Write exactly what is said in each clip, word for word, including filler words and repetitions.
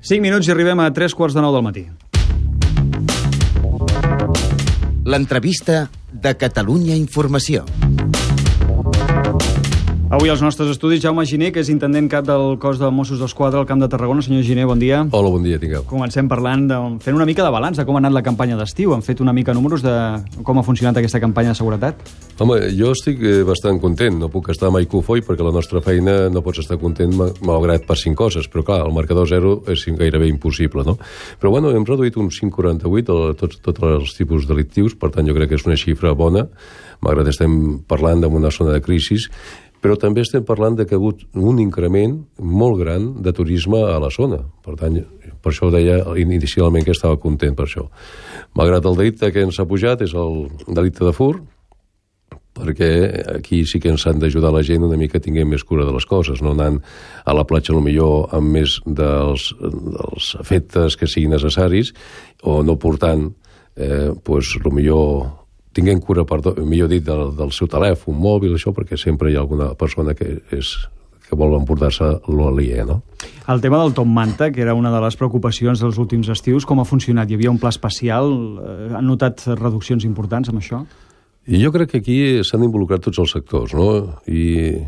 cinc minuts i arribem a tres quarts de nou del matí. L'entrevista de Catalunya Informació. Avui als nostres estudis Jaume Giner, que és intendent cap del cos de Mossos d'Esquadra al Camp de Tarragona. Senyor Giner, bon dia. Hola, bon dia, tingueu. Comencem parlant, de, fent una mica de balanç de com ha anat la campanya d'estiu. Han fet una mica números de com ha funcionat aquesta campanya de seguretat? Home, jo estic bastant content. No puc estar mai cofoi perquè la nostra feina no pots estar content malgrat passin coses. Però clar, el marcador zero és gairebé impossible, no? Però bueno, hem reduït un cinc coma quaranta-vuit a tots, tots els tipus delictius, per tant jo crec que és una xifra bona, malgrat estem parlant d'una zona de crisi, però també estem parlant de que ha hagut un increment molt gran de turisme a la zona. Per tant, per això deia inicialment que estava content per això. Malgrat el delicte que ens ha pujat és el delicte de furt, perquè aquí sí que ens han d'ajudar la gent una mica a tinguem més cura de les coses, no anant a la platja potser amb més dels, dels efectes que siguin necessaris, o no portant, eh, pues, potser tinguem cura, perdó, millor dit, del, del seu telèfon, mòbil, això, perquè sempre hi ha alguna persona que, és, que vol emportar-se l'aliè, no? El tema del top manta, que era una de les preocupacions dels últims estius, com ha funcionat? Hi havia un pla especial? Han notat reduccions importants amb això? I jo crec que aquí s'han involucrat tots els sectors, no? I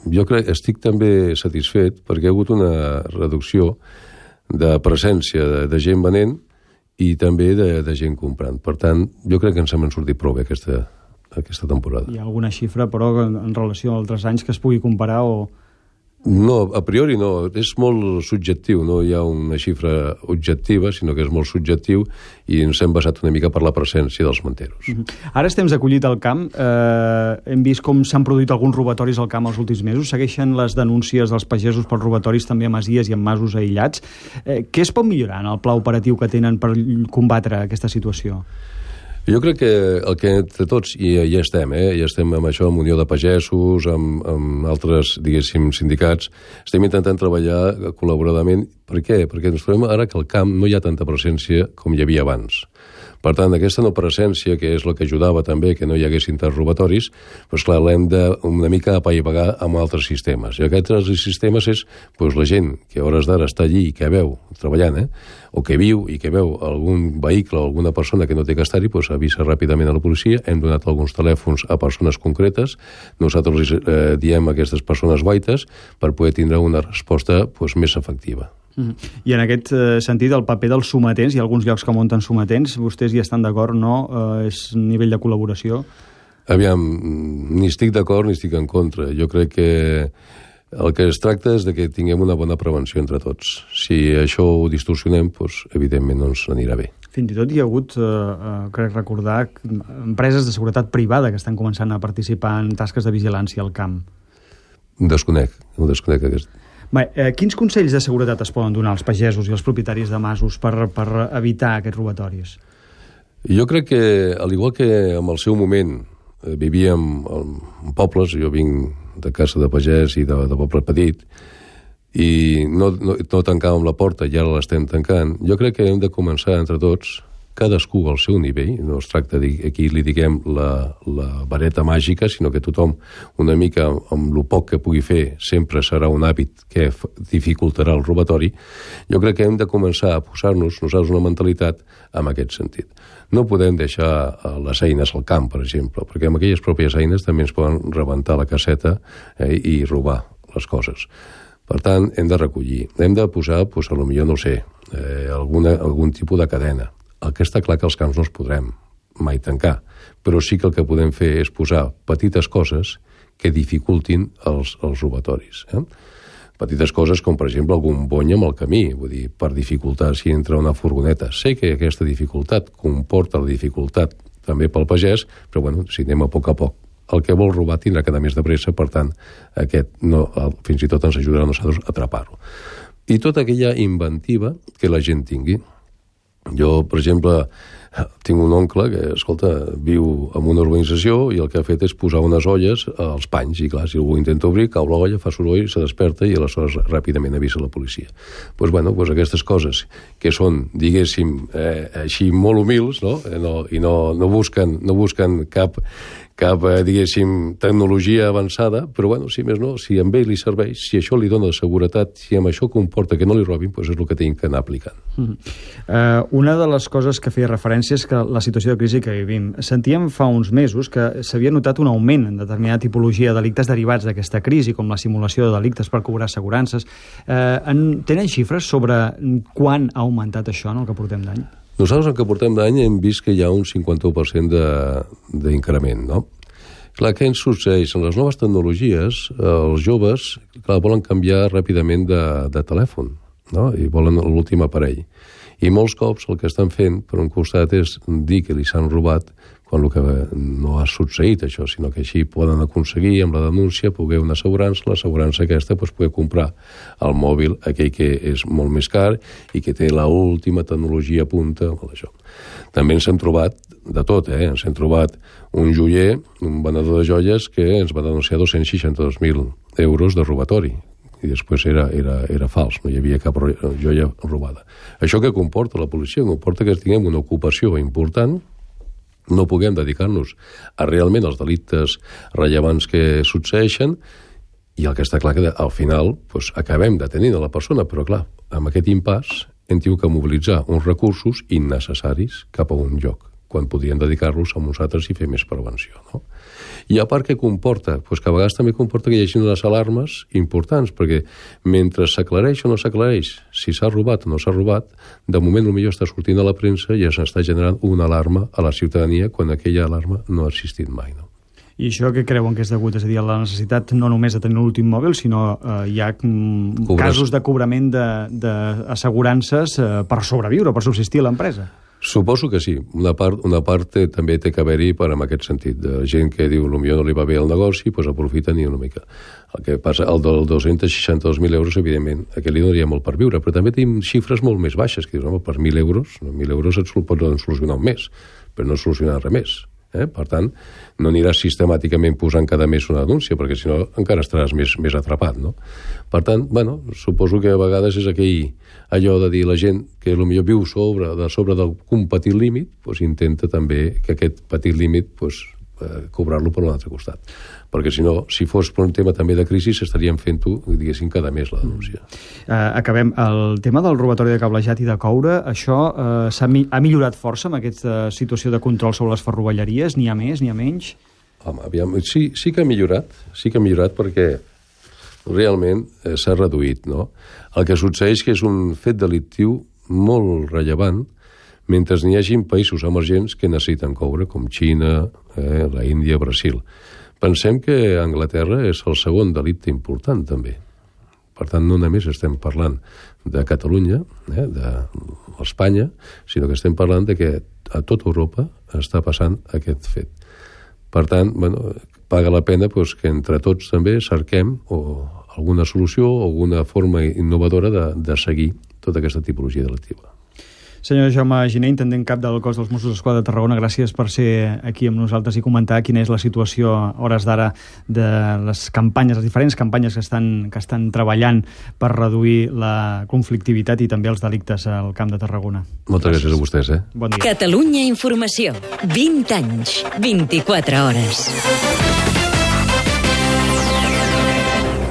jo crec, estic també satisfet perquè ha hagut una reducció de presència de, de gent venent i també de, de gent comprant. Per tant, jo crec que ens hem sortit prou bé aquesta, aquesta temporada. Hi ha alguna xifra, però, en relació a altres anys que es pugui comparar o...? No, a priori no. És molt subjectiu. No hi ha una xifra objectiva, sinó que és molt subjectiu i ens hem basat una mica per la presència dels manteros. Uh-huh. Ara estem acollit al camp. Eh, hem vist com s'han produït alguns robatoris al camp els últims mesos. Segueixen les denúncies dels pagesos per robatoris també a masies i en masos aïllats. Eh, què es pot millorar en el pla operatiu que tenen per combatre aquesta situació? Jo crec que el que entre tots, i ja estem, eh? ja estem amb això, amb Unió de Pagesos, amb, amb altres, diguéssim, sindicats, estem intentant treballar col·laboradament. Per què? Perquè ens trobem ara que al camp no hi ha tanta presència com hi havia abans. Per tant, aquesta no presència, que és la que ajudava també que no hi haguessin tants robatoris, doncs clar, l'hem de una mica apaivagar amb altres sistemes. I aquests altres sistemes és doncs, la gent que a hores d'ara està allí i que veu, treballant, eh? o que viu i que veu algun vehicle o alguna persona que no té que estar-hi, doncs avisa ràpidament a la policia. Hem donat alguns telèfons a persones concretes. Nosaltres eh, diem a aquestes persones guaites per poder tindre una resposta doncs, més efectiva. Mm. I en aquest eh, sentit, el paper dels sometents, hi ha alguns llocs que munten sometents, vostès hi estan d'acord, no? Eh, és nivell de col·laboració? Aviam, ni estic d'acord ni estic en contra. Jo crec que el que es tracta és de que tinguem una bona prevenció entre tots. Si això ho distorsionem, doncs, evidentment no ens anirà bé. Fins i tot hi ha hagut, eh, crec recordar, empreses de seguretat privada que estan començant a participar en tasques de vigilància al camp. Desconec, ho desconec aquest. Bé, eh, quins consells de seguretat es poden donar als pagesos i als propietaris de masos per, per evitar aquests robatoris? Jo crec que, al igual que en el seu moment eh, vivíem en pobles, jo vinc de casa de pagès i de, de poble petit, i no, no, no tancàvem la porta i ara l'estem tancant, jo crec que hem de començar entre tots, cadascú al seu nivell, no es tracta de aquí li diguem la, la vareta màgica, sinó que tothom una mica amb el poc que pugui fer sempre serà un hàbit que dificultarà el robatori. Jo crec que hem de començar a posar-nos nosaltres una mentalitat en aquest sentit. No podem deixar les eines al camp, per exemple, perquè amb aquelles pròpies eines també ens poden rebentar la caseta eh, i robar les coses. Per tant, hem de recollir. Hem de posar, doncs, a lo millor, no sé, eh, alguna, algun tipus de cadena. El que està clar que els camps no els podrem mai tancar, però sí que el que podem fer és posar petites coses que dificultin els, els robatoris. Eh? Petites coses com, per exemple, algun bony amb el camí, vull dir, per dificultar si entra una furgoneta. Sé que aquesta dificultat comporta la dificultat també pel pagès, però bueno, si anem a poc a poc. El que vol robar tindrà que anar més de pressa, per tant, aquest no, fins i tot ens ajudarà a nosaltres a atrapar-lo. I tota aquella inventiva que la gent tingui. Jo, per exemple, Tinc un oncle que, escolta, viu en una urbanització i el que ha fet és posar unes olles als panys, i clar, si algú intenta obrir, cau l'olla, fa soroll, se desperta i aleshores ràpidament avisa la policia. Pues, bueno, pues aquestes coses que són, diguéssim, eh, així molt humils, no? Eh, no, i no, no busquen, no busquen cap, cap eh, diguéssim, tecnologia avançada, però bueno, si més no, si a ell li serveix, si això li dona seguretat, si amb això comporta que no li robin, doncs és el que tinc que anar aplicant. Mm. Uh, una de les coses que feia referència és que la situació de crisi que vivim. Sentíem fa uns mesos que s'havia notat un augment en determinada tipologia de delictes derivats d'aquesta crisi, com la simulació de delictes per cobrar assegurances. Uh, en, tenen xifres sobre quan ha augmentat això en el que portem d'any? Nosaltres, en el que portem d'any, hem vist que hi ha un cinquanta-u per cent d'increment, no? Clar, què ens succeeix? En les noves tecnologies, els joves, clar, volen canviar ràpidament de, de telèfon, no? I volen l'últim aparell. I molts cops el que estan fent, per un costat, és dir que li s'han robat, quan el que no ha succeït això, sinó que així poden aconseguir amb la denúncia poder una assegurança, l'assegurança aquesta pues, poder comprar el mòbil, aquell que és molt més car i que té l'última tecnologia punta. Això. També ens hem trobat de tot, eh? Ens hem trobat un joier, un venedor de joies que ens va denunciar dos-cents seixanta-dos mil euros de robatori, i després era, era, era fals, no hi havia cap joia robada. Això que comporta la policia? Comporta que tinguem una ocupació important, no puguem dedicar-nos a realment els delictes rellevants que succeeixen, i el que està clar que al final doncs, acabem detenint a la persona, però clar, amb aquest impàs hem tingut que mobilitzar uns recursos innecessaris cap a un lloc, quan podríem dedicar-los a uns altres i fer més prevenció, no? I a part què comporta? Pues que a vegades també comporta que hi hagi unes alarmes importants, perquè mentre s'aclareix o no s'aclareix si s'ha robat o no s'ha robat, de moment potser està sortint a la premsa i ja s'està generant una alarma a la ciutadania quan aquella alarma no ha existit mai, no? I això què creuen que és degut? És a dir, la necessitat no només de tenir l'últim mòbil, sinó eh, hi ha mm, casos de cobrament d'assegurances eh, per sobreviure, per subsistir a l'empresa? Suposo que sí. Una part, una part té, també té que haver-hi per en aquest sentit, de gent que diu potser no li va bé el negoci, doncs aprofiten i una mica. El que passa, el del dos-cents seixanta-dos mil euros, evidentment, aquest li donaria molt per viure, però també tenim xifres molt més baixes, que dius, home, per mil euros, mil euros et poden solucionar un mes, però no solucionar res més. Eh? Per tant, no aniràs sistemàticament posant cada mes una denúncia, perquè si no encara estaràs més, més atrapat, no? Per tant, bueno, suposo que a vegades és aquell allò de dir la gent que potser viu sobre, de sobre d'un petit límit, doncs intenta també que aquest petit límit doncs, eh, cobrar-lo per un altre costat. Perquè si no, si fos per un tema també de crisi, s'estaríem fent-ho, diguéssim, cada mes la denúncia. Uh, acabem. El tema del robatori de cablejat i de coure, això uh, s'ha mi ha millorat força amb aquesta situació de control sobre les ferrovelleries? N'hi ha més, n'hi ha menys? Home, aviam, sí, sí que ha millorat, sí que ha millorat perquè realment eh, s'ha reduït, no? El que succeeix que és un fet delictiu molt rellevant mentre n'hi hagi països emergents que necessiten coure, com Xina, eh, la Índia, Brasil. Pensem que Anglaterra és el segon delicte important, també. Per tant, no només estem parlant de Catalunya, eh, d'Espanya, sinó que estem parlant de que a tota Europa està passant aquest fet. Per tant, bueno, paga la pena doncs, que entre tots també cerquem o alguna solució o alguna forma innovadora de, de seguir tota aquesta tipologia delictiva. Senyor Jaume Giner, intendent cap del cos dels Mossos d'Esquadra de Tarragona, gràcies per ser aquí amb nosaltres i comentar quina és la situació a hores d'ara de les campanyes, les diferents campanyes que estan, que estan treballant per reduir la conflictivitat i també els delictes al Camp de Tarragona. Moltes gràcies, gràcies a vostès. Eh? Bon dia. Catalunya Informació. vint anys, vint-i-quatre hores.